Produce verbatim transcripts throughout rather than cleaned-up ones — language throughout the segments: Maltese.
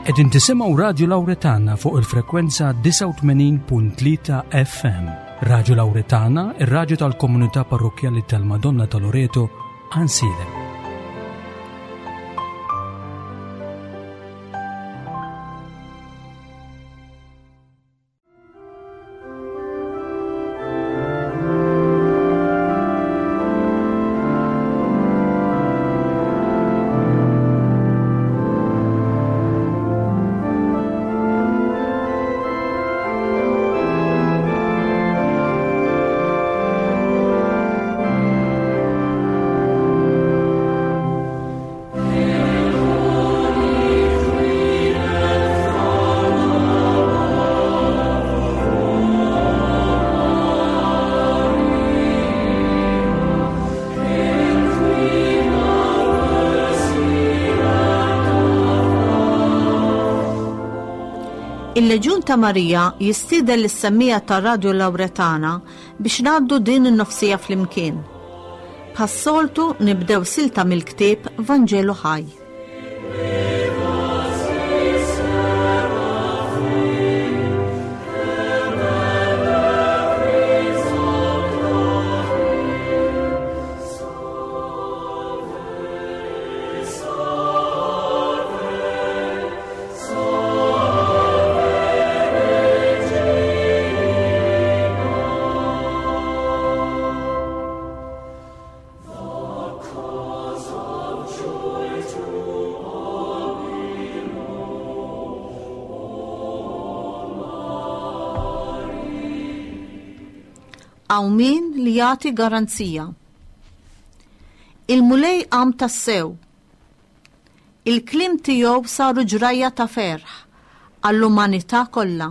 Qegħdin tisimgħu Radju Lawretana fuq il-frekwenza disgħa u tmenin punt tlieta F M. Radju Lawretana, ir-radju tal-Komunità Parrokkjali tal-Madonna ta' Loreto, Għajnsielem. Il-Leġjun ta' Marija jistieden lis-semmiegħa ta' Radio Lawretana biex ngħaddu din in-nofsija flimkien. Bħas-soltu nibdew silta mill-ktieb Vanġelu Ħaj. Qawmien li jagħti garanzija. Il-Mulej qam tassew. Il-kliem tiegħu saru ġrajja ta' ferħ għall-umanità kollha.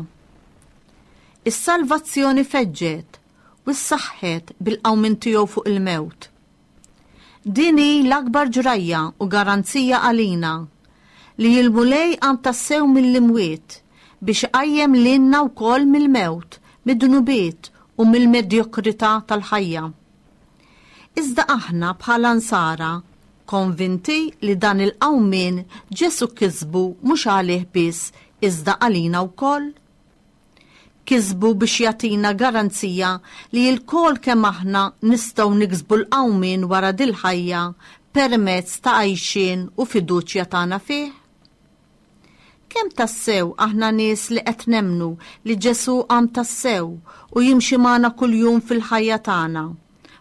Is-salvazzjoni feġġet u ssaħħet bil-qawmien tiegħu fuq il-mewt. Din hi l-akbar ġrajja u garanzija għalina li l-Mulej qam tassew mill-imwiet biex iqajjem lilna wkoll mill-mewt, mid-dnubiet u mill-medjokrità tal-ħajja. Iżda aħna bħala nsara konvinti li dan il-qawmien Ġesu kisbu mhux għalih biss, iżda għalina wkoll. Kisbu biex jagħtina garanzija li lkoll kemm aħna nistgħu niksbu l-qawmien wara dil-ħajja permezz ta' għajxien u fiduċja tagħna fih. Kemm tassew aħna nies li qed nemmnu li Ġesu qam tassew u jimxi magħna kuljum fil-ħajja tagħna?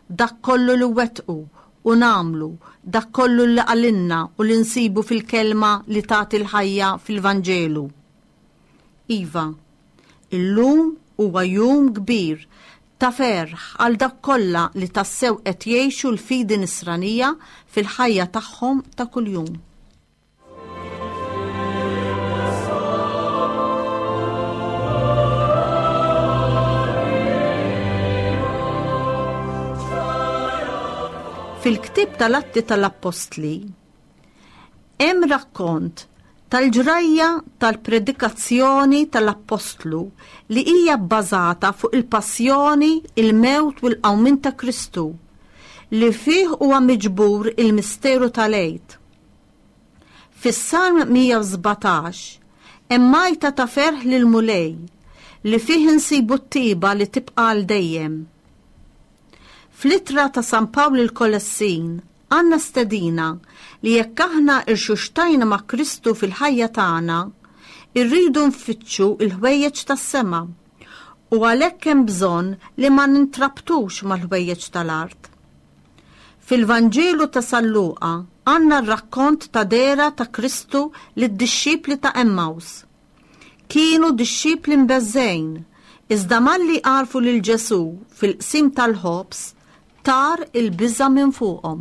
Dak kollu li nwettqu u nagħmlu, dak kollu li qalilna u li nsibu fil-kelma li tagħti l-ħajja fil-Vanġelu. Iva, illum huwa jum kbir ta' ferħ għal dak kollha li tassew qed jgħixu l-fidi nisranija fil-ħajja tagħhom ta' kuljum. Fil-ktieb tal-Atti tal-Appostli hemm rakkont tal-ġrajja tal-predikazzjoni tal-Appostlu li hija bbażata fuq il-passjoni, il-mewt u l-qawmien ta' Kristu, li fih huwa miġbur il-misteru tal-Għid. Fis-Salm mija u sbatax hemm għajta ta' ferħ lill-Mulej li fih insibu t-tiba li tibqa' għal dejjem. Fl-ittra ta' San Pawl lill-Kolossin għandna stedina li jekk aħna irxuxtajna ma' Kristu fil-ħajja tagħna, irridu nfittxu il-ħwejjeġ tas-sema u għalhekk hemm bżonn li ma nintrabtux mal-ħwejjeġ tal-art. Fil-Vanġelu ta' San Luqa għandna r-rakkont ta' dehra ta' Kristu lid-dixxipli ta' Emmaus. Kienu dixxipli mbeżżgħin, iżda malli għarfu lil Ġesu fil-qsim tal-ħobż, tar il-biża' minn fuqhom.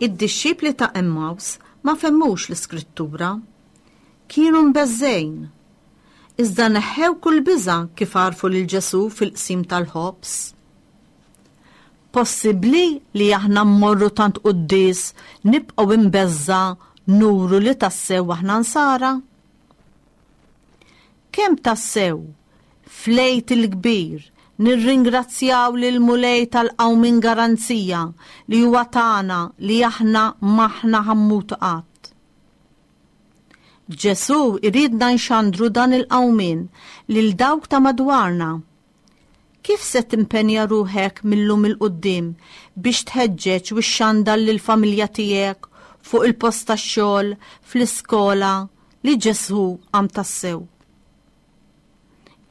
Id-dixxipli ta' Emmaus ma fehmux l-iskrittura. Kienu mbeżżgħin. Iżda neħħew kull biża' kif għarfu lil Ġesu fil-qsim tal-ħobż. Possibbli li aħna mmorru tant quddies, nibqgħu imbeżżgħa, nuru li tassew aħna nsara? Kemm tassew, fl-Għid il-Kbir, nirringrazzjaw lill-Mulej tal-qawmien garanzija li huwa tagħna li aħna m'aħna ħa mmutu qatt. Ġesù iridna nxandru dan il-qawmien lil dawk ta' madwarna. Kif se timpenja ruħek mil-lum 'il quddiem biex tħeġġeġ u xxandar lill-familja tiegħek fuq il-post tax-xogħol, fl-iskola, li Ġesù qam tassew?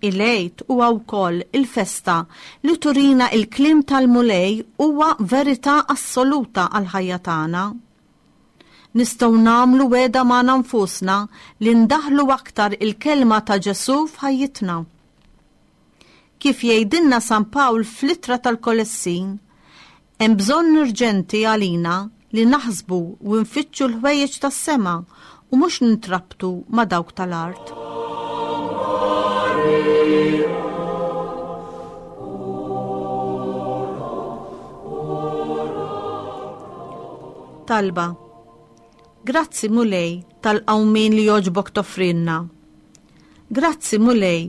Il-Għid huwa wkoll il-festa li turina il-kliem tal-Mulej huwa verità assoluta għall-ħajja tagħna. Nistgħu nagħmlu wegħda magħna nfusna li ndaħlu aktar il-kelma ta' Ġesù f'ħajjitna. Kif jgħidilna San Pawl fl-ittra tal-Kolossin, hemm bżonn urġenti għalina li naħsbu u nfittxu l-ħwejjeġ tas-sema u mhux nintrabtu ma' dawk tal-art. Talba. Grazzi Mulej tal-qawmien li jogħġbok toffrilna. Grazzi Mulej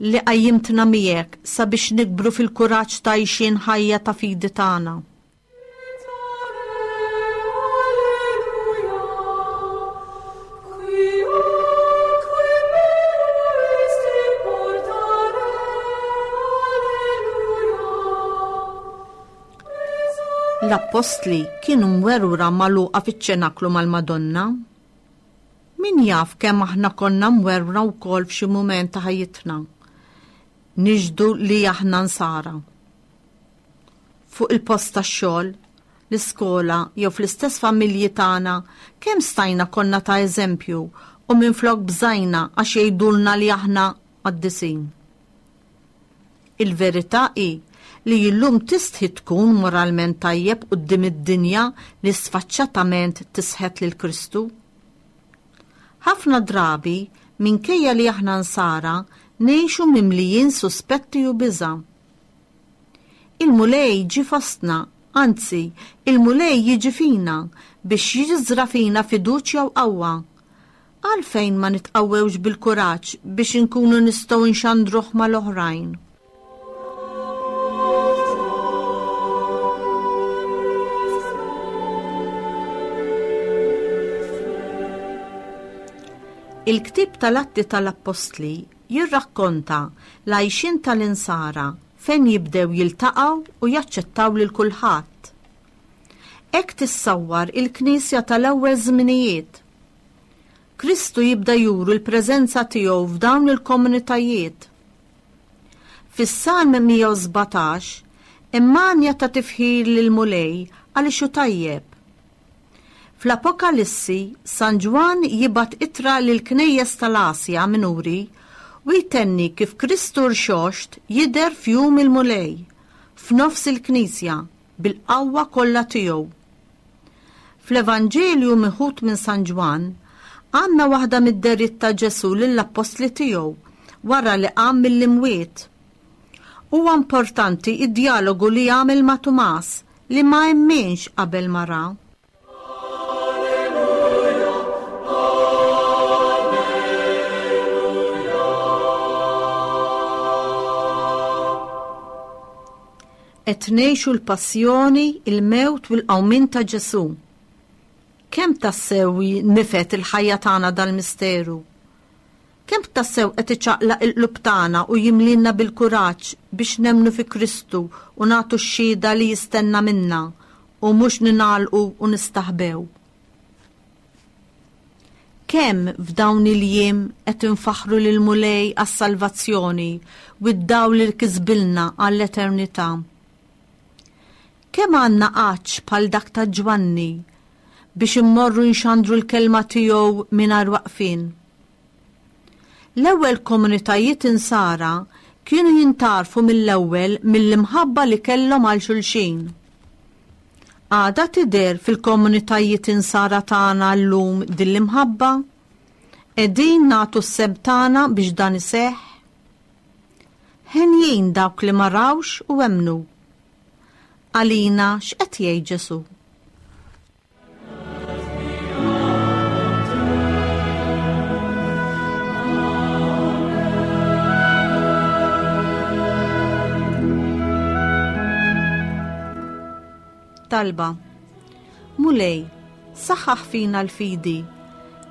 li qajjimtna miegħek sabiex nikbru fil-kuraġġ ta' għixien ħajja ta' fidi tagħna. L-appostli kienu mwerwra magħluqa fiċ-ċenaklu mal-Madonna. Min jaf kemm aħna konna mwerwra wkoll f'xi mument ta' ħajjitna. Nixhdu li aħna nsara. Fuq il-post tax-xogħol, l-iskola jew fl-istess familji tagħna kemm stajna konna ta' eżempju u minflok bżajna għax jgħidulna li aħna qaddisin. Il-verità hi li illum tistħi tkun moralment tajjeb quddiem id-dinja li sfaċċatament tisħet lil Kristu. Ħafna drabi, minkejja li aħna nsara, ngħixu mimlijin suspetti u biża'. Il-Mulej ġie fostna, anzi, il-Mulej jiġi fina biex jiżra fina fiduċja u qawwa. Għalfejn ma nitqawwewx bil-kuraġġ biex inkunu nistgħu nxandruh mal-oħrajn? Il-ktieb tal-Atti tal-Appostli jirrakkonta l-għajxien tal-insara fejn jibdew jiltaqgħu u jaċċettaw lil kulħadd. Hekk tissawwar il-Knisja tal-ewwel żminijiet. Kristu jibda juru l-preżenza tiegħu f'dawn il-komunitajiet. Fis-Salm mija u sbatax hemm manja ta' tifħir lil Mulej għaliex hu tajjeb. Fl-Apokalissi, San Ġwann jibgħat ittra lil knejjes tal-Asja Minuri u jtenni kif Kristu rxoxt jidher f'jum il-Mulej, f'nofs il-Knisja, bil-qawwa kollha tiegħu. Fl-Evanġelju miħud minn San Ġwann, għandna waħda mid-deritt ta' Ġesù lill-appostli tiegħu wara li qam mill-imwiet. Huwa importanti id-dialogu li għamel ma' Tumas li ma emminx qabel ma ra. Qed ngħixu l-passjoni, il-mewt u l-qawmien ta' Ġesù. Kemm tassew nifet il-ħajja tagħna dal-misteru? Kemm tassew qed iċaqlaq il-qlub tagħna u jimlilna bil-kuraġġ biex nemmnu fi Kristu u nagħtu x-xhieda li jistenna minna u mhux ningħalqu u nistaħbew? Kemm f'dawn il-jiem qed infaħħru lil Mulej għas-salvazzjoni u d-dawl li kisbilna għall-eternità? Kemm għandna għatx bħal dak ta' Ġwanni biex immorru nxandru l-kelma tiegħu mingħajr waqfien? L-ewwel komunitajiet insara kienu jintarfu mill-ewwel mill-imħabba li kellhom għal xulxin. Għada tidher fil-komunitajiet insara tagħna llum din l-imħabba? Qegħdin nagħtu s-sehem tagħna biex dan iseħħ? Henjin dawk li ma rawx u emmnu. Għalina x'qed jgħid Ġesù? Bit-talba. Mulej, saħħaħ fina l-fidi,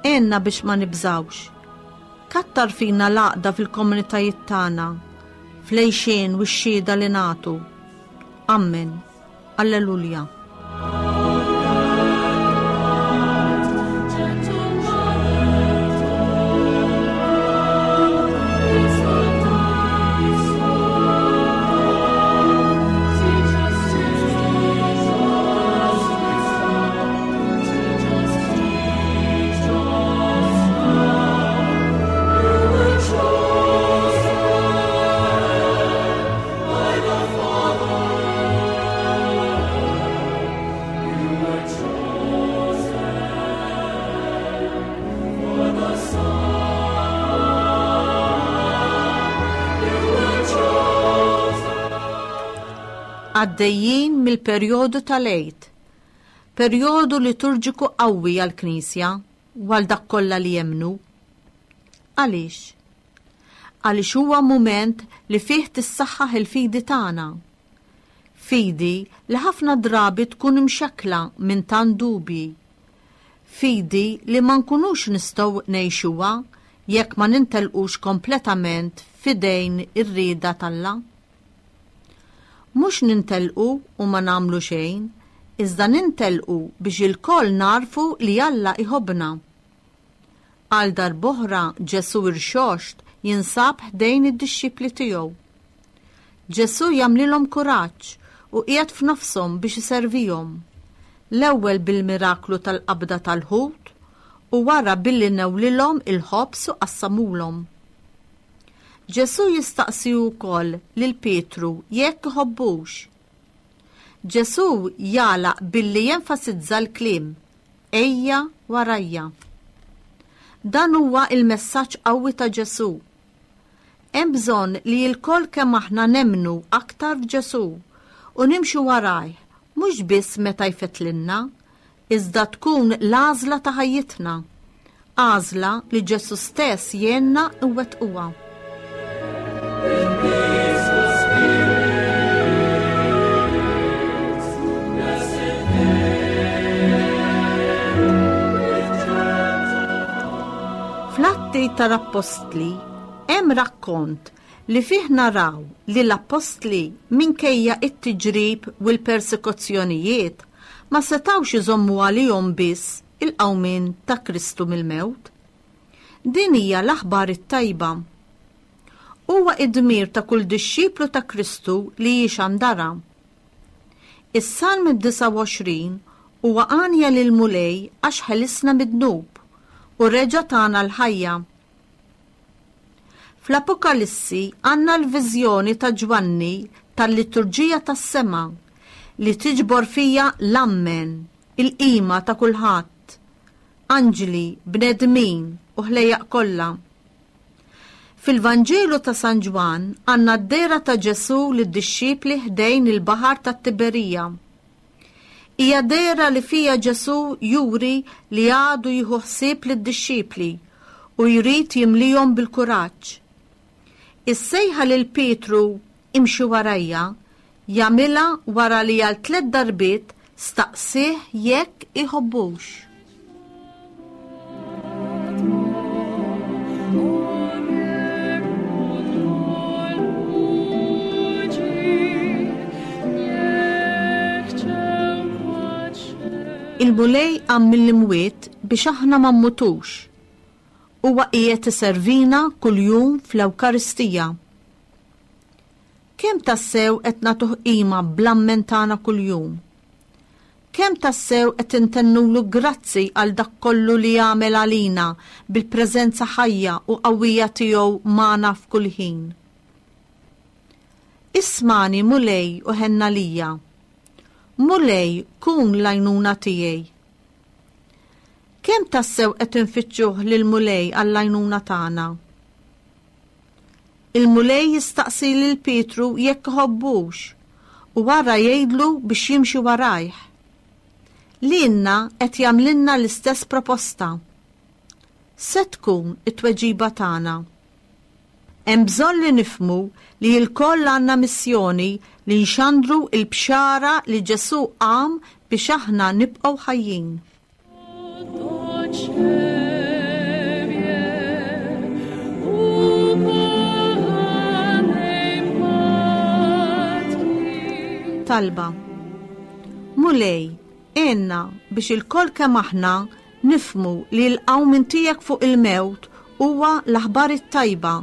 għenna biex ma nibżawx. Kattar fina l-għaqda fil-komunitajiet tagħna, fl-għixien u x-xhieda li nagħtu. Amen. Alleluja. Għaddejjin mill-perjodu tal-Għid, perjodu liturġiku qawwi għall-Knisja u għal dak kollha li jemmnu. Għaliex? Għaliex huwa mument li fih tissaħħaħ il-fidi tagħna. Fidi li ħafna drabi tkun imxekkla minn tant dubji. Fidi li ma nkunux nistgħu ngħixuha jekk ma nintelqux kompletament f'idejn ir-rieda t'Alla. Mhux nintelqu u ma nagħmlu xejn, iżda nintelqu biex ilkoll narfu li Alla iħobbna. Għal darb'oħra Ġesù irxoxt jinsab ħdejn id-dixxipli tiegħu. Ġesù jagħmlilhom kuraġġ u qiegħed f'nofshom biex iservihom. L-ewwel bil-miraklu tal-qabda tal-ħut u wara billi newlilhom il-ħobż u qassamulhom. Ġesù jistaqsi wkoll lil Pietru jekk iħobbux. Ġesù jagħlaq billi jenfasizza l-kliem Ejja warajja. Dan huwa il-messaġġ qawwi ta' Ġesù. Hemm bżonn li lkoll kemm aħna nemmnu aktar f'Ġesù u nimxu warajh mhux biss meta jfettlilna, iżda tkun l-għażla ta' ħajjitna, għażla li Ġesù stess jgħinna nwettquha. Fl-Atti tal-Appostli hemm rakkont li fih naraw li l-Appostli minkejja it-tiġrib u l-persekuzzjonijiet ma setgħux iżommu għalihom biss il-qawmien ta' Kristu mill-mewt. Din hija l-aħbar it-tajba. Huwa id-dmir ta' kull dixxiplu ta' Kristu li jixandarha. Is-Salm disgħa u għoxrin huwa għanja lil Mulej għax ħelisna mid-dnub u reġa' tana l-ħajja. Fl-Apokalissi għandna l-viżjoni ta' Ġwanni tal-liturġija tas-sema li tiġbor fija l-ammen, il-qima ta' kulħadd, anġli, bnedmin u ħlejjaq kollha. Fil-Vanġelu ta' San Ġwann għandna d-dehra ta' Ġesù lid-dixxipli ħdejn il-baħar tat-Tiberija. Hija dehra li fija Ġesù juri li għadu jieħu ħsieb lid-dixxipli u jrid jimlihom bil-kuraġġ. Is-sejħa lil Pietru imxi warajja jagħmilha wara li għal tliet darbiet staqsih jekk iħobbux. Il-Mulej qam mill-imwiet biex aħna ma mmutux. Huwa qiegħed iservina kuljum fl-Ewkaristija. Kemm tassew qed nagħtuh qima bl-ammen tagħna kuljum? Kemm tassew qed intennulu grazzi għal dak kollu li jagħmel għalina bil-preżenza ħajja u qawwija tiegħu magħna f'kull ħin? Ismani Mulej u ħenna lija. Mulej, kun l-għajnuna tiegħi. Kemm tassew qed infittxuh lil Mulej għall-għajnuna tagħna? Il-Mulej jistaqsi lil Pietru jekk iħobbux u wara jgħidlu biex jimxi warajh. Lilna qed jagħmlilna l-istess proposta. Se tkun it-tweġiba tagħna. Hemm bżonn li nifhmu li lkoll għandna missjoni li nxandru l-bxara li Ġesù qam biex aħna nibqgħu ħajjin. Do Ciebie, ukochanej Matki. Talba. Mulej, għenna biex ilkoll kemm aħna nifhmu li l-qawmien tiegħek fuq il-mewt huwa l-aħbar it-tajba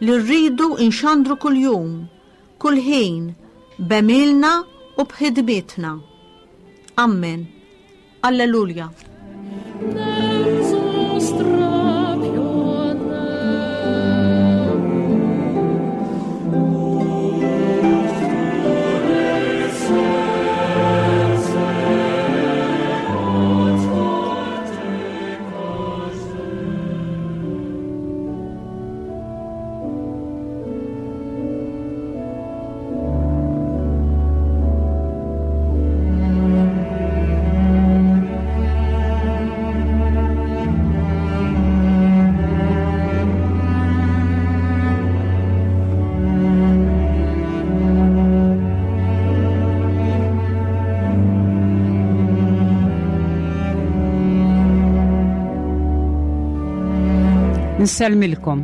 li rridu nxandru kuljum, kull ħin, b'għemilna u b'ħidmietna. Amen. Alleluja. Nędzą strapione. Nsellmilkom.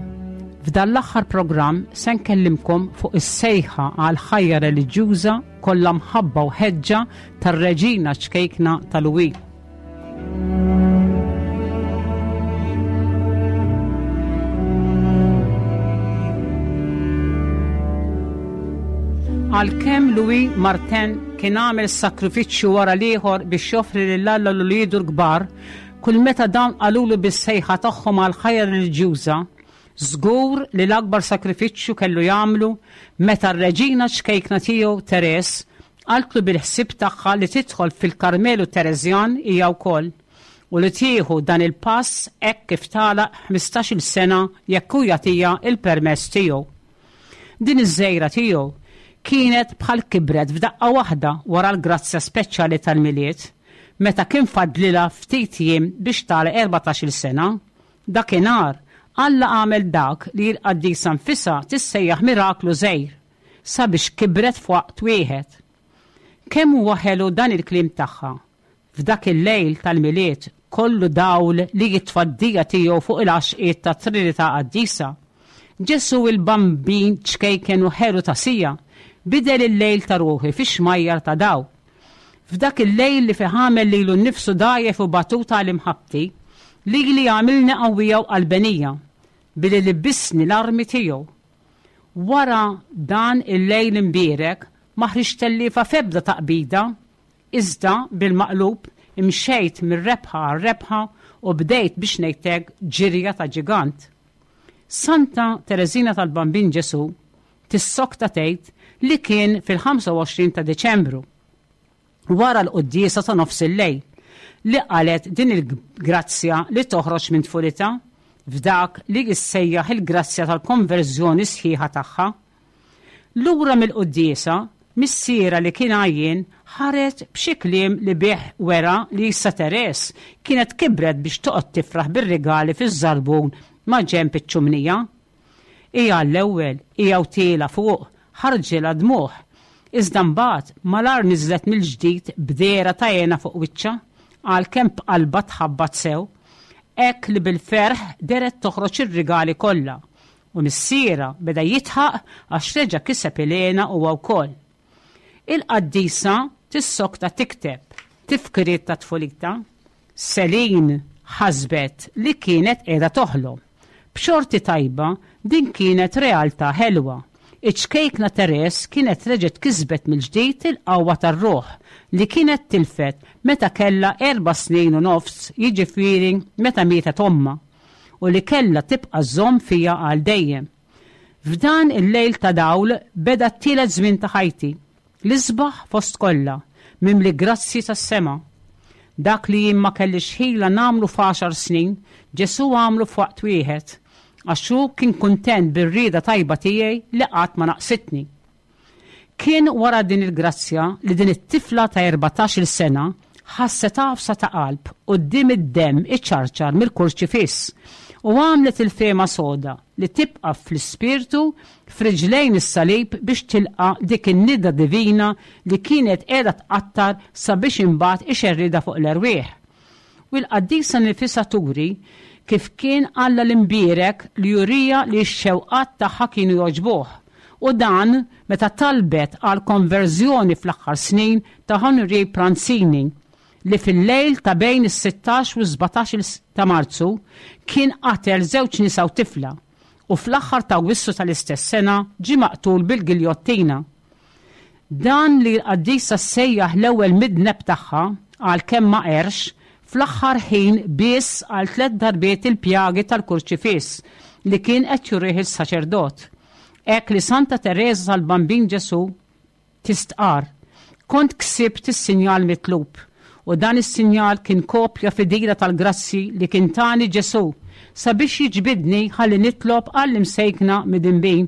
F'dan l-aħħar programm se nkellimkom fuq is-sejħa għal ħajja reliġjuża kollha mħabba u ħeġġa tar-Reġina ċkejkna tal-Louis. Għalkemm Louis Martin kien għamel sakrifiċċju wara l-ieħor biex joffri lil Alla lil uliedu l-kbar, kull meta dawn qalulu bis-sejħa tagħhom għal ħajja reliġjuża, żgur li l-akbar sakrifiċċju kellu jagħmlu meta r-reġina ċkejkna tiegħu Teres qaltlu bil-ħsieb tagħha li tidħol fil-Karmelu Tereżjan hija wkoll u li tieħu dan il-pass hekk kif tagħlaq ħmistax-il sena jekk hu jagħtiha il-permess tiegħu. Din iż-żejra tiegħu kienet bħal kibret f'daqqa waħda wara l-grazzja speċjali tal-Milied, meta kien fadlilha ftit jiem biex tagħlaq erbatax-il sena. Dakinhar Alla għamel dak li l-qaddisa nfisha tissejjaħ miraklu żgħir sabiex kibret f'waqt wieħed. Kemm huwa ħelu dan il-kliem tagħha f'dak il-lejl tal-Milied kollu dawl li jitfaddija tiegħu fuq il-għaxqiet ta' Trinità Qaddisa. Ġesu il-Bambin ċkejken u ħelu ta' sija bidel il-lejl ta' ruħi fi xmajjar ta' daw. F'dak il-lejl li fih għamel lilu nnifsu dgħajjef u batuta għal imħabbti, lili għamilni qawwija u qalbenija billi libbisni l-armi tiegħu. Wara dan il-lejl imbierek ma ħriġt telliefa f'ebda taqbida, iżda bil-maqlub imxejt mir-rebħa għar-rebħa u bdejt biex ngħidlek ġirja ta' ġigant. Santa Tereżina tal-Bambin Ġesu tissokta tgħid li kien fil-ħamsa u għoxrin ta' Deċembru, wara l-quddiesa ta' nofs il-lejl, li qalet din il-grazzja li toħroġ minn tfulitha f'dak li jissejjaħ il-grazzja tal-konverżjoni sħiħa tagħha. Lura mill-quddiesa, missiera li kien għajjien ħareġ b'xi kliem li bih wera li issa Teres kienet kibret biex toqgħod tifraħ bir-rigali fiż-żarbun ma' ġenb iċ-ċumnija. Hija l-ewwel, hija u tiela fuq, ħarġilha dmuħ. Iżda mbagħad malar niżlet mill-ġdid b'dehra ta' għena fuq wiċċha, għalkemm b'qalbha tħabbat sew, hekk li bil-ferħ deret toħroġ ir-rigali kollha, u missiera beda jitħaq għax reġa' kiseb il-għena huwa wkoll. Il-qaddisa tissokta tikteb tifkiriet ta' tfulita. Selin ħasbet li kienet qiegħda toħlom. B'xorti tajba din kienet realtà ħelwa. Iċ-ċkejkna Teres kienet reġgħet kisbet mill-ġdid il-qawwa tar-ruħ li kienet tilfet meta kellha erba' snin u nofs, jiġifieri meta mietet ommha, u li kellha tibqa' żomm fija għal dejjem. F'dan il-lejl ta' dawl beda t-tielet żmien ta' ħajti, l-isbaħ fost kollha, mimli grazzi tas-sema. Dak li jien ma kellix ħila nagħmlu f'għaxar snin, Ġesu għamlu f'waqt wieħed, għax hu kien kuntent bir-rieda tajba tiegħi li qatt ma naqsitni. Kien wara din il-grazzja li din it-tifla ta' erbatax-il sena ħasset għafsa ta' qalb quddiem id-demm iċarċar mill-kurċifiss U għamlet il-fehma soda li tibqa' fl-ispirtu f'riġlejn is-salib biex tilqa' dik in-nida divina li kienet qiegħda tqattar sabiex imbagħad ixerridha fuq l-erwieħ. U l-qaddisa nifisha turi kif kien Alla l-imbierek li jurija li x-xewqat tagħha kienu jogħġbuh. U dan meta talbet għal konverżjoni fl-aħħar snin ta' Henri Pranzini li fil-lejl ta' bejn is-sittax u s-sbatax ta' Marzu kien qatel żewġ nisa u tifla u fl-aħħar ta' Awwissu tal-istess sena ġie maqtul bil-giljottina. Dan li l-qaddisa ssejjaħ l-ewwel midneb tagħha għalkemm ma qerx, fl-aħħar ħin biss għal tliet darbiet il-pjagi tal-kurċifiss li kien qed jurih is-saċerdot. Hekk li Santa Tereża tal-Bambin Ġesù tistqar, kont ksibt is-sinjal mitlub u dan is-sinjal kien kopja fidila tal-grazzi li kien tani Ġesù sabiex jiġbidni ħalli nitlob għall-imsejkna midinbin.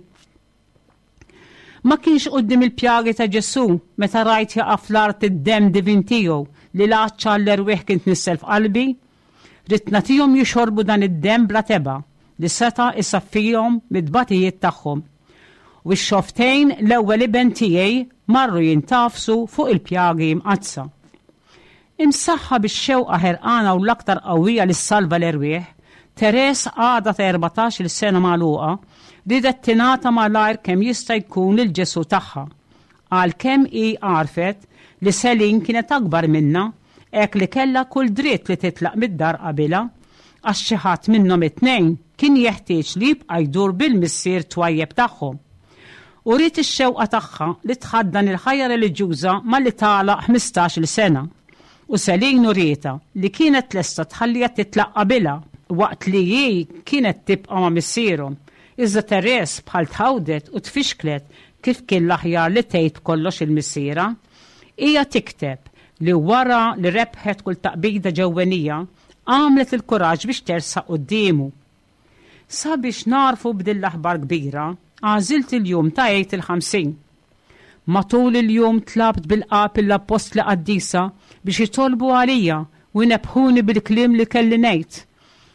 Ma kienx quddiem il-pjagi ta' Ġesù meta rajt jaqa' fl-art id-demm divin tiegħu li l-għatx għall-erwieħ kien tnissel f'qalbi? Ridt nagħtihom jixorbu dan id-demm bla tebgħa li seta' isaffihom mid-tbatijiet tagħhom. U x-xofftejn l-ewwel iben tiegħi marru jintgħafsu fuq il-pjagi mqaddsa. Imsaħħa bix-xewqa ħerqana u l-aktar qawwija li ssalva l-erwieħ, Teres għadha ta' erbatax-il sena magħluqa, riedet tingħata malajr kemm jista' jkun lil Ġesù tagħha. Għalkemm hi għarfet li Selin kienet akbar minnha, hekk li kellha kull dritt li titlaq mid-dar qabilha, għax xi ħadd minnhom it-tnejn kien jeħtieġ li jibqa' jdur bil-missier twajjeb tagħhom. Uriet ix-xewqa tagħha li tħaddan il-ħajja reliġjuża malli tagħlaq ħmistax-il sena. U Selin urietha li kienet lesta tħalliha titlaq qabilha waqt li hi kienet tibqa' ma' missierhom. Iżda Teres bħal tħawdet u tfixklet kif kien l-aħjar li tgħid kollox il-missierha. Hija tikteb li wara li rebħet kull taqbida ġewwenija, għamlet il-kuraġġ biex tersaq quddiemu. Sabiex narfu b'din l-aħbar kbira, għażilt il-jum ta' Għid il-Ħamsin. Matul il-jum tlabt bil-qalb l-appostli qaddisa biex jitolbu għalija u jnebbħuni bil-kliem li kelli ngħid.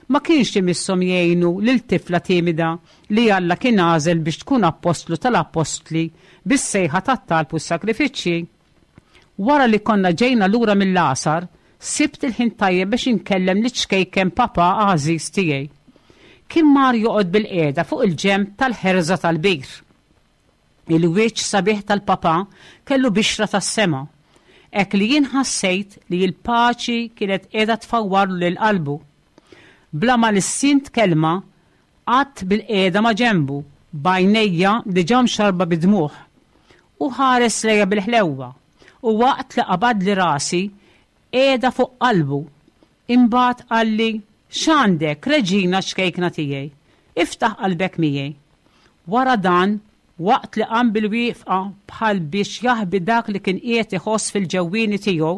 Ma kienx imisshom jgħinu lil tifla timida li Alla kien għażel biex tkun appostlu tal-appostli bis-sejħa tat-talb u s-sagrifiċċji. Wara li konna ġejna lura mill-għasar, sibt il-ħin tajjeb biex inkellem liċ-ċkejken papa għażiż tiegħi. Kien mar joqgħod bil-qiegħda fuq il-ġenb tal-ħerża tal-bir. Il-wiċċ sabiħ tal-papa kellu bixra tas-sema, hekk li jien ħassejt li l-paċi kienet qiegħda tfawwarlu lil qalbu. Bla ma lissint kelma, qatt bil-qiegħda ma' ġenbu, b'għajnejja diġà mxarrba bid-dmugħ. U ħares lejja bil-ħlewwa, u waqt li qabadli rasi, qiegħda fuq qalbu. Imbagħad qalli, X'għandek, reġina ċkejkna tiegħi? Iftaħ qalbek miegħi. Wara dan, waqt li qam bil-wieqfa bħal biex jaħbi dak li kien qiegħed iħoss fil-ġewwieni tiegħu,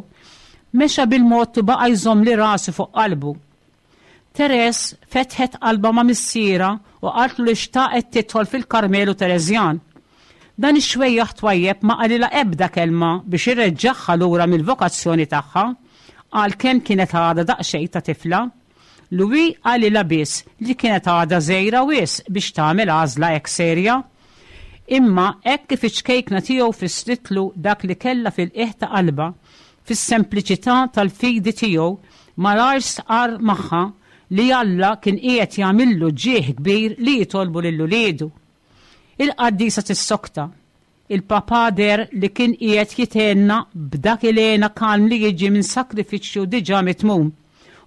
mexa bil-mod u baqa' jżommli rasi fuq qalbu. Teres fetħet qalbha ma' missierha u qaltlu li xtaqet tidħol fil-Karmelu Tereżjan. Dan ix-xwejjaħ twajjeb ma qalilha ebda kelma biex ireġġagħha lura mill-vokazzjoni tagħha, għalkemm kienet għadha daqsxejn ta' tifla. Louis qalilha biss li kienet għadha żgħira wisq biex tagħmel għażla hekk serja. Imma hekk kif iċ-ċkejkna tiegħu fissritlu dak li kellha fil-qiegħ ta' qalbha, fis-sempliċità tal-fidi tiegħu, malajr stqarr magħha li Alla kien qiegħed jagħmillu ġieħ kbir li jitolbu lil uliedu. Il-qaddisa tissokta. Il-papa deher li kien qiegħed jithenna b'dak il-hena kalm li jiġi minn sakrifiċċju diġà mitmum.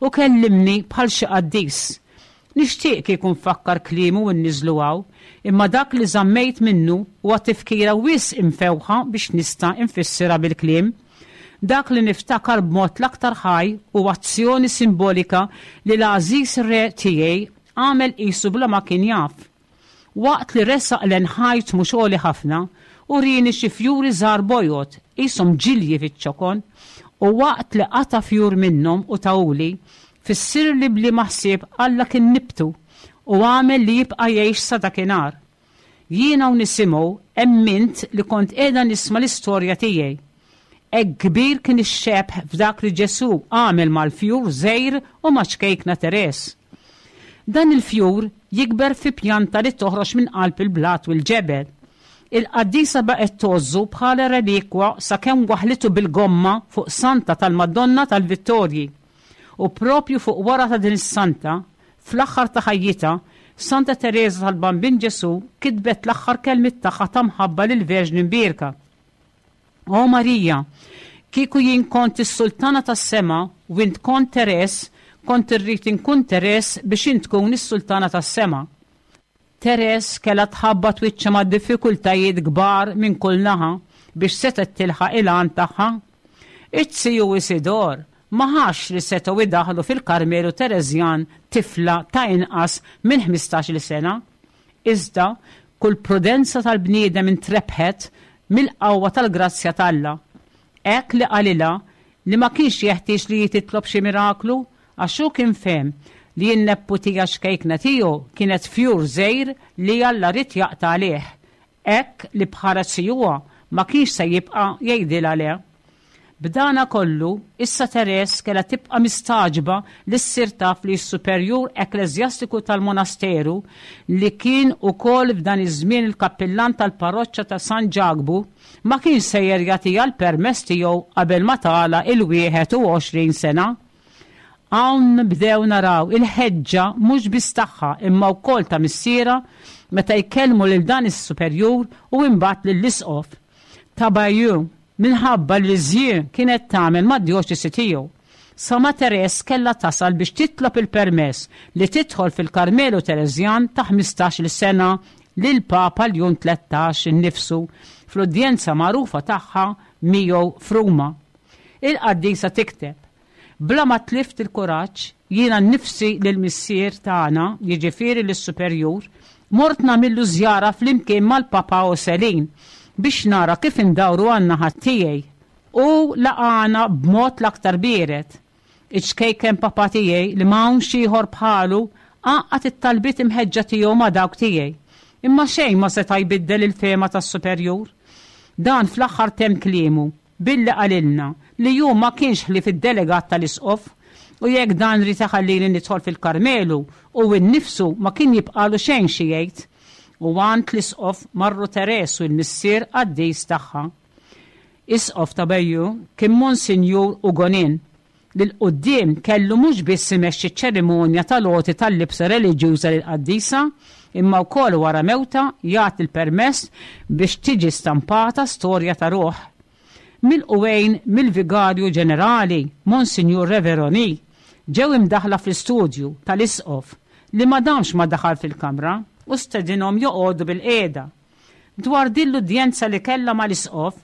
U kellimni bħal xi qaddis. Nixtieq kieku nfakkar kliemu u nniżlu hawn, imma dak li żammejt minnu huwa tifkira wisq imfewħa biex nista' nfissirha bil-kliem. Dak li niftakar b'mod l-aktar ħaj hu azzjoni simbolika li l-għażiż re tiegħi għamel qisu bla ma kien jaf. Waqt li resaq lejn ħajt mhux għoli ħafna, urieni xi fjuri żgħar bojod qishom ġilji fiċ-ċokon, u waqt li qata' fjur minnhom u tahuli, fissirli b'liema ħsieb Alla kien nibtu u għamel li jibqa' jgħix sa dakinhar. Jiena u nisimgħu emmint li kont qiegħda nisma' l-istorja tiegħi. Hekk kbir kien ix-xebh f'dak li Ġesù għamel mal-fjur żgħir u ma' ċkejkna Teres. Dan il-fjur jikber fi pjanta li toħroġ minn qalb il-blat u l-ġebel. Il-qaddisa baqgħet tgħożżu bħala relikwa sakemm waħlitu bil-gomma fuq santa tal-Madonna tal-Vittorji. U propju fuq wara ta' din is-santa, fl-aħħar ta' ħajjitha, Santa Tereża tal-Bambin Ġesu kitbet l-aħħar kelmiet tagħha ta' mħabba lill-Verġni Mbierka. O Marija, kieku jien kont is-sultana tas-sema u int kont Teres, kont irrid inkun Teres biex int tkun is-sultana tas-sema. Teres kellha tħabbat wiċċha ma' diffikultajiet kbar minn kull naħa biex setgħet tilħaq il-għan tagħha. Iz-ziju Isidor ma ħax li setgħu idaħlu fil-Karmelu Tereżjan tifla ta' inqas minn ħmistax-il sena. Iżda kull prudenza tal-bniedem intrebħet mill-qawwa tal-grazzja t'Alla. Hekk li qalilha li ma kienx jeħtieġ li jititlob xi miraklu għax hu kien fehem li n-nepputija xkejkna tiegħu kienet fjur żgħir li Alla ried jaqta' għalih. Hekk li bħala zijuha ma kienx se jibqa' jgħidilha le. B'dana kollu, issa Teres kellha tibqa' mistagħġba li ssir taf li s-superjur ekkleżjastiku tal-monasteru li kien ukoll f'dan iż-żmien il-kappillan tal-parroċċa ta' San Ġakbu ma kienx sejjer jagħtiha l-permess tiegħu qabel ma tagħlaq il-wieħed u għoxrin sena. Hawn bdew naraw il-ħeġġa mhux biss tagħha imma wkoll ta' missierha meta jkellmu lil dan is-superjur u imbagħad lill-isqof ta' Bayeux minħabba li Lisieux kienet tagħmel mad-djoċesi tiegħu. Sa ma Teres kellha tasal biex titlob il-permess li tidħol fil-Karmelu Tereżjan ta' ħmistax-il sena lil Papa Ljun Tlettax innifsu fl-udjenza magħrufa tagħha miegħu f'Ruma. Il-qaddisa tikteb: Bla ma tlift il-kuraġġ, jiena nnifsi lill-missier tagħna, jiġifieri lis-superjur, mort nagħmillu żjara flimkien mal-Papa Oselin biex nara kif indawru għan-naħa tiegħi. U laqana b'mod l-aktar biered. Iċ-ċkejken papa tiegħi li ma hawnx ieħor bħalu għaqqad it-talbiet imħeġġa tiegħu ma' dawk tiegħi. Imma xejn ma seta' jbiddel il-fehma tas-superjur. Dan fl-aħħar temm kliemu billi qalilna li hu ma kienx ħlief id-delegat tal-isqof u jekk dan ried iħallini nidħol fil-Karmelu u nnifsu ma kien jibqalu xejn xi jgħid. U għand l-isqof marru Teres u l-missier qaddis tagħha. Isqof ta' Bayeux kien Monsinjur Ugonin li 'l quddiem kellu mhux biss imexxi ċ-ċerimonja tal-għoti tal-libsa reliġjuża lill-qaddisa imma wkoll wara mewta jagħti l-permess biex tiġi stampata storja ta' ruħ. Milqugħin mill-Vigarju Ġenerali Monsinjur Reveroni ġew imdaħla fl-istudju tal-isqof li ma damx ma daħal fil-kamra u stedinhom joqogħdu bil-qiegħda. Dwar din l-udjenza li kellha mal-isqof,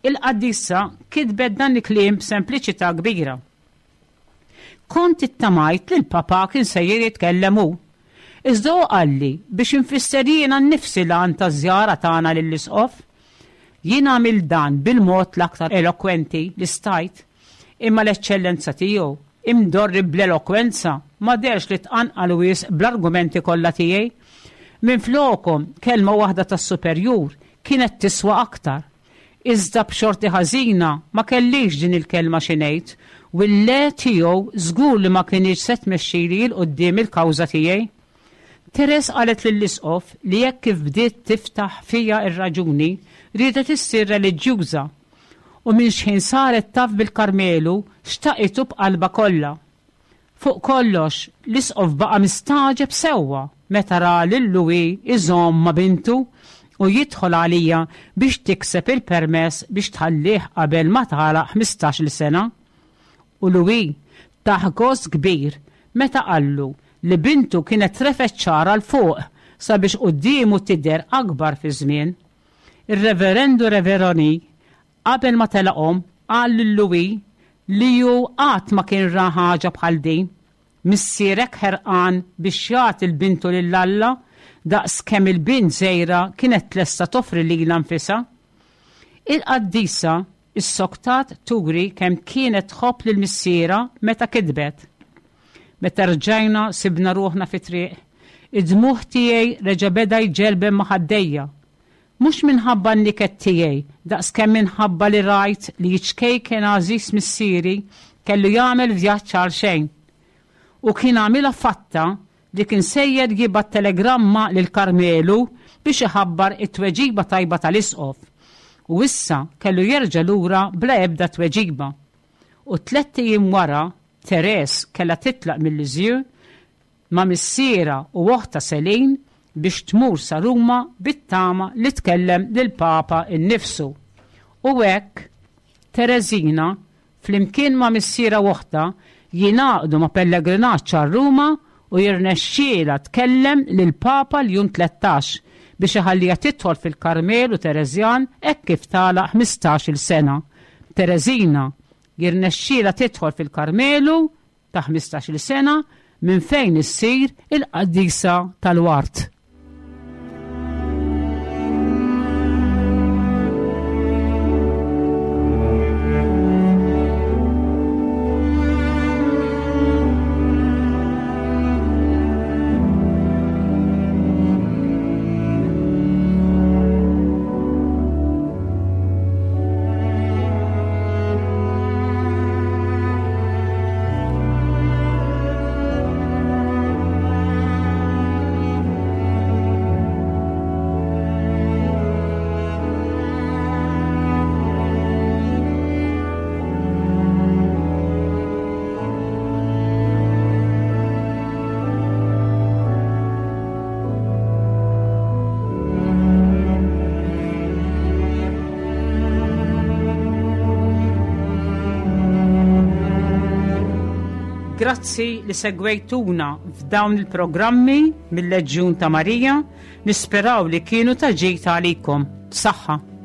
il-qaddisa kitbet dan il-kliem b'sempliċità kbira. Kont ittamajt li l-papa kien sejjer jitkellem hu. Iżda hu qalli biex infisser jiena nnifsi l-għan taż-żjara tagħna lill-isqof. Jien għamilt dan bil-mod l-aktar elokwenti li stajt, imma l-eċċellenza tiegħu imdorri bl-elokwenza ma derx li tqanqal wisq bl-argumenti kollha tiegħi. Minflokhom kelma waħda tas-superjur kienet tiswa aktar. Iżda b'xorti ħażina ma kellix din il-kelma xi ngħid u l-le tiegħu żgur li ma kinitx se tmexxili 'l quddiem il-kawża tiegħi. Teres qalet lill-isqof li jekk kif bdiet tiftaħ fija r-raġuni riedet issir reliġjuża u minn xħin saret taf bil-Karmelu xtaqitu b'qalba kollha. Fuq kollox, l-isqof baqa' mistagħġeb sewwa meta ra lil Louis iżomm ma' bintu u jidħol għalija biex tikseb il-permess biex tħallih qabel ma tagħlaq ħmistax-il sena. U Louis tah gost kbir meta qallu li bintu kienet refgħet xagħarha 'l fuq sabiex quddiemu tidher akbar fi żmien. Ir-Reverendu Reveroni qabel ma telaqhom qal lil Louis li hu qatt ma kien ra ħaġa bħal din. Missierek ħerqan biex jagħti l-bintu lil Alla daqs kemm il-bint żgħira kienet tlesta toffri lilha nfisha. Il-qaddisa issoktat turi kemm kienet tħobb lil missierha meta kitbet. Meta rġajna sibna ruħna fi triq, id-dmugħ tiegħi reġa' beda jġelben ma' ħaddejja. Mhux minħabba n-niket tiegħi, daqs kemm minħabba li rajt li ċ-ċkejken għażiż missieri kellu jagħmel vjaġġ għal xejn. U kien għamilha fatta li kien sejjer jibgħat telegramma lil Karmelu biex iħabbar it-tweġiba tajba tal-isqof. U issa kellu jerġa' lura bla ebda tweġiba. U tlett ijiem wara, Therese kellha titlaq mill-Lisieux ma' missierha u oħtha Celine biex tmur sa Ruma bit-tama li tkellem lill-Papa innifsu. U hekk Tereżina flimkien ma' missierha u oħtha jingħaqdu ma' pellegrinaġġ għal Ruma u jirnexxielha tkellem lill-Papa Ljun tlettax biex iħalliha tidħol fil-Karmelu Tereżjan hekk kif tagħlaq ħmistax-il sena. Tereżina jirnexxielha tidħol fil-Karmelu ta' ħmistax-il sena minn fejn issir il-qaddisa tal-Ward. Grazzi li segwejtuna f'dawn il-programmi mill-Leġjun ta' Marija, nisperaw li kienu ta' ġid għalikom. Saħħa!